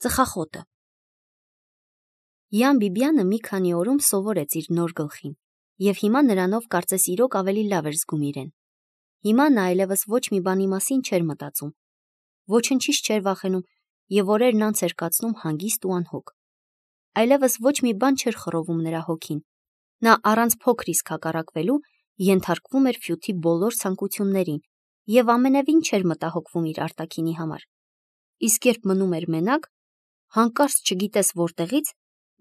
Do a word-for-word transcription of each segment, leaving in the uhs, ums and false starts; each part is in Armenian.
Ծխախոտը։ Յան Բիբյանը մի քանի օրում սովորեց իր նոր գլխին, և հիմա նրանով կարծես իրոք ավելի լավ էր զգում իրեն։ Հիմա նա այլևս ոչ մի բանի մասին չէր մտածում, ոչնչից չէր վախենում և օրերն անց էր կացնում հանգիստ ու անհոգ։ Այլևս ոչ մի բան չէր խռովում նրա հոգին։ Նա առանց փոքր իսկ հակառակվելու ենթարկվում էր Ֆյութի բոլոր ցանկություններին և ամենևին չէր մտահոգվում իր արտաքինի համար։ Իսկ երբ մնում էր մենակ, հանկարծ չգիտես որտեղից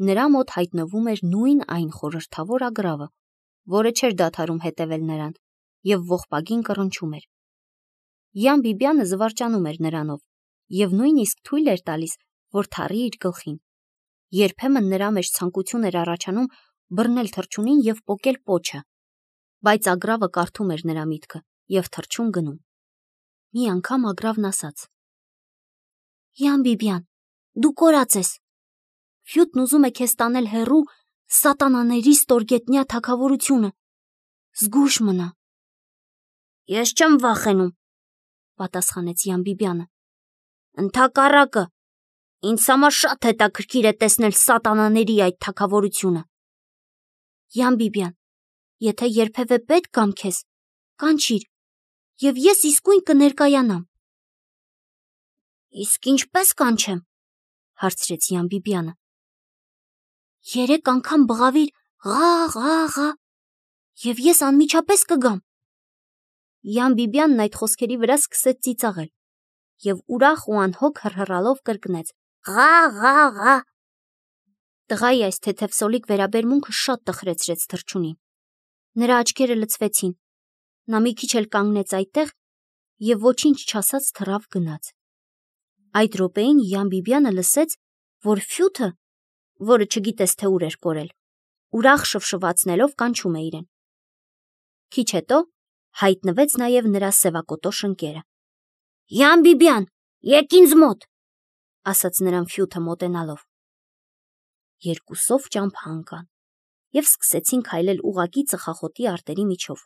նրա մոտ հայտնվում էր նույն այն խորհրդավոր ագռավը, որը չէր դադարում հետևել նրան և ողբագին կռնչում էր։ Յան Բիբյանը զվարճանում էր նրանով և նույնիսկ թույլ էր տալիս, որ թռի իր գլխին։ Երբեմն նրա մեջ ցանկություն էր առաջանում բռնել թռչունին և պոկել պոչը, բայց ագռավը կարդում էր նրա միտքը և թռչուն գնում։ Մի անգամ ագռավն ասաց. «Յան Բիբյան, դու կորած ես։ Ֆյութն ուզում է քեզ տանել հեռու սատանաների ստորգետնյա թագավորությունը։ Զգույշ մնա»։ «Ես չեմ վախենում», պատասխանեց Յան Բիբյանը։ «Ընդհակառակը, ինձ համար շատ հետաքրքիր է տեսնել սատանաների այդ թագավորությունը։ Յան Բիբյան, եթե երբևէ պետք գամ քեզ, կանչիր, և ես իսկույն կներկայանամ»։ «Իսկ ինչպե՞ս կանչեմ», հարցրեց Յան Բիբյանը։ «Երեք անգամ բղավիր «ղա, ղա, ղա», և ես անմիջապես կգամ»։ Յան Բիբյանն այդ խոսքերի վրա սկսեց ծիծաղել և ուրախ ու անհոգ հռհռալով կրկնեց. «Ղա, ղա, ղա»։ Տղայի այս թեթևսոլիկ վերաբերմունքը շատ տխրեցրեց թռչունին։ Նրա աչքերը լցվեցին, նա մի քիչ էլ կանգնեց այդտեղ և ոչինչ չասաց թռավ գնաց։ Այդ րոպեին Յան Բիբյանը լսեց, որ Ֆյութը, որը չգիտես թե ուր էր կորել, ուրախ շվշվացնելով կանչում է իրեն։ Քիչ հետո հայտնվեց նաև նրա սևակոտոշ ընկերը։ «Յան Բիբյան, եկ ինձ մոտ», ասաց նրան Ֆյութը մոտենալով։ Երկուսով ճամփա ընկան և սկսեցին քայլել ուղղակի ծխախոտի արտերի միջով։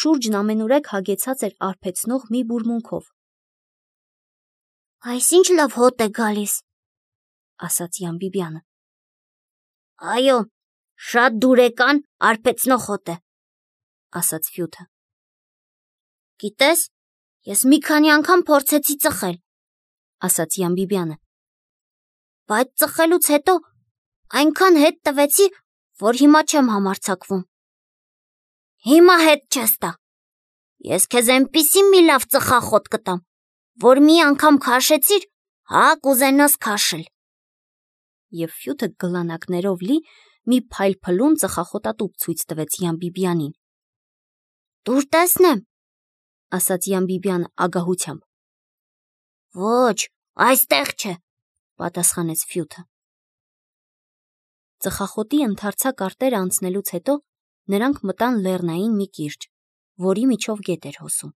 Շուրջն ամենուրեք հագեցած էր արբեցնող մի բուրմունքով։ «Այս ինչ լավ հոտ է գալիս», ասաց Յան Բիբյանը։ «Այո, շատ դուրեկան արբեցնող հոտ է», ասաց Ֆյութը։ «Գիտես, ես մի քանի անգամ փորձեցի ծխել», ասաց Յան Բիբյանը, «բայց ծխելուց հետո այնքան հետ տվեցի, որ հիմա չեմ համարձակվում»։ «Հիմա հետ չես տա։ Ես քեզ էնպիսի մի լավ ծխախոտ կտամ, որ մի անգամ քաշեցիր, հա կուզենաս քաշել»։ Եվ Ֆյութը գլանակներով լի մի փայլփլուն ծխախոտատուփ ցույց տվեց Յան Բիբյանին։ «Տուր տեսնեմ», ասաց Յան Բիբյանը ագահությամբ։ «Ոչ, այստեղ չէ», պատասխանեց Ֆյութը։ Ծխախոտի ընդարձակ արտերը անցնելուց հետո նրանք մտան լեռնային մի կիրճ, որի միջով գետ էր հոսում։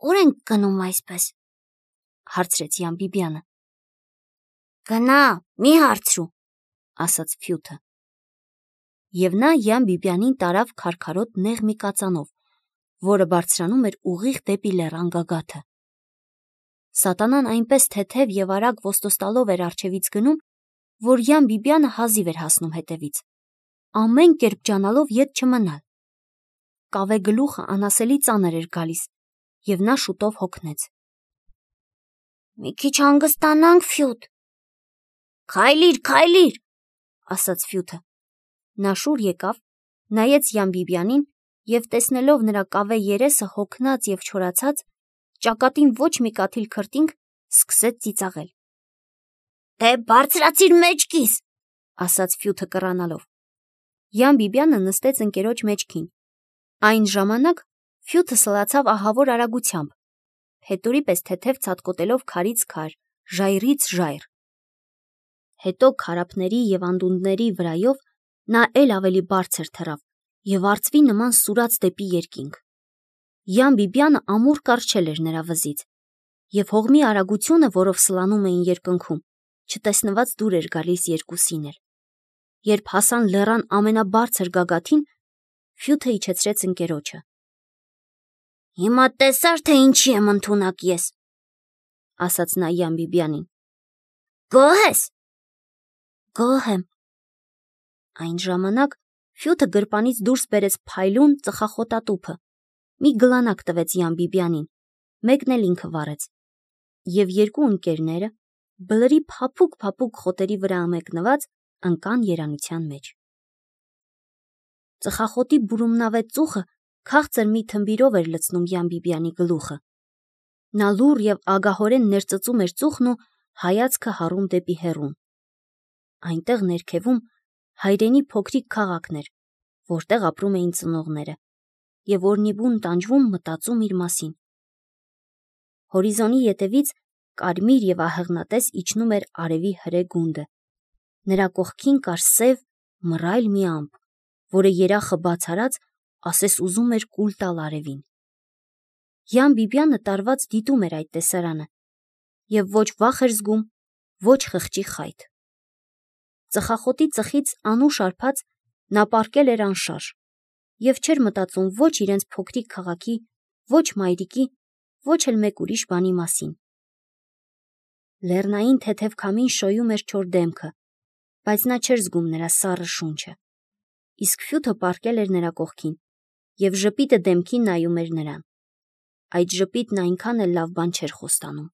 «Ո՞ւր ենք գնում այսպես», հարցրեց Յան Բիբյանը։ «Գնա, մի հարցրու», ասաց Ֆյութը։ Եվ նա Յան Բիբյանին տարավ քարքարոտ նեղ մի կածանով, որը բարձրանում էր ուղիղ դեպի լեռան գագաթը։ Սատանան այնպես թեթև և արագ ոստոստալով էր առջևից գնում, որ Յան Բիբյանը հազիվ էր հասնում հետևից, ամեն կերպ ջանալով ետ չմնալ։ Կավե գլուխը անասելի ծանր էր գալիս, և նա շուտով հոգնեց։ «Մի քիչ հանգստանանք, Ֆյութ»։ «Քայլիր, քայլիր», ասաց Ֆյութը։ Նա շուռ եկավ, նայեց Յան Բիբյանին և տեսնելով նրա կավե երեսը հոգնած և չորացած, ճակատին ոչ մի կաթիլ քրտինք, սկսեց ծիծաղել։ «Դե բարձրացիր մեջքիս», ասաց Ֆյութը կռանալով։ Յան Բիբյանը նստեց ընկերոջ մեջքին։ Այն ժամանակ Ֆյութը սլացավ ահավոր արագությամբ, փետուրի պես թեթև ցատկոտելով քարից քար, ժայռից ժայռ։ Հետո քարափների և անդունդների վրայով նա էլ ավելի բարձր թռավ և արծվի նման սուրաց դեպի երկինք։ Յան Բիբյանը ամուր կառչել էր նրա վզից, և հողմի արագությունը, որով սլանում էին երկնքում, չտեսնված դուր էր գալիս երկուսին էլ։ Երբ հասան լեռան ամենաբարձր գագաթին, Ֆյութը իջեցրեց ընկերոջը։ «Հիմա տեսա՞ր, թե ինչի եմ ընդունակ ես»։ ասաց նա Յան Բիբյանին։ Գոհ ես։ Գոհ եմ։ Այն ժամանակ Ֆյութը գրպանից դուրս բերեց փայլուն ծխախոտատուփը, մի գլանակ տվեց Յան Բիբյանին, մեկն էլ ինքը վառեց, և երկու ընկերները, բլրի փափուկ-փափուկ խոտերի վրա ամեկնված, ընկան երանության մեջ։ Ծխախոտի բուրումնավետ ծուխը քաղցր մի թմբիրով էր լցնում Յան Բիբյանի գլուխը։ Նա լուռ և ագահորեն ներծծում էր ծուխն ու հայացքը հառում դեպի հեռուն։ Այնտեղ ներքևում հայրենի փոքրիկ քաղաքն էր, որտեղ ապրում էին ծնողները, և օրնիբուն տանջվում մտածում իր մասին։ Հորիզոնի ետևից կարմիր և ահեղնատես իջնում էր արևի հրե գունդը։ Նրա կողքին կար սև, մռայլ մի ամպ, որը երախը բաց արած, ասես ուզում էր կուլ տալ արևին։ Յան Բիբյանը տարված դիտում էր այդ տեսարանը և ոչ վախ էր զգում, ոչ խղճի խայթ։ Ծխախոտի ծխից անուշ արբած նա պառկել էր անշարժ և չէր մտածում ոչ իրենց փոքրիկ քաղաքի, ոչ մայրիկի, ոչ էլ մեկ ուրիշ բանի մասին։ Լեռնային թեթև քամին շոյում էր չոր դեմքը, բայց նա չէր զգում նրա սառը շունչը, իսկ Ֆյութը պառկել էր նրա կողքին և ժպիտը դեմքին նայում էր նրան։ Այդ ժպիտն այնքան էլ լավ բան չէր խոստանում։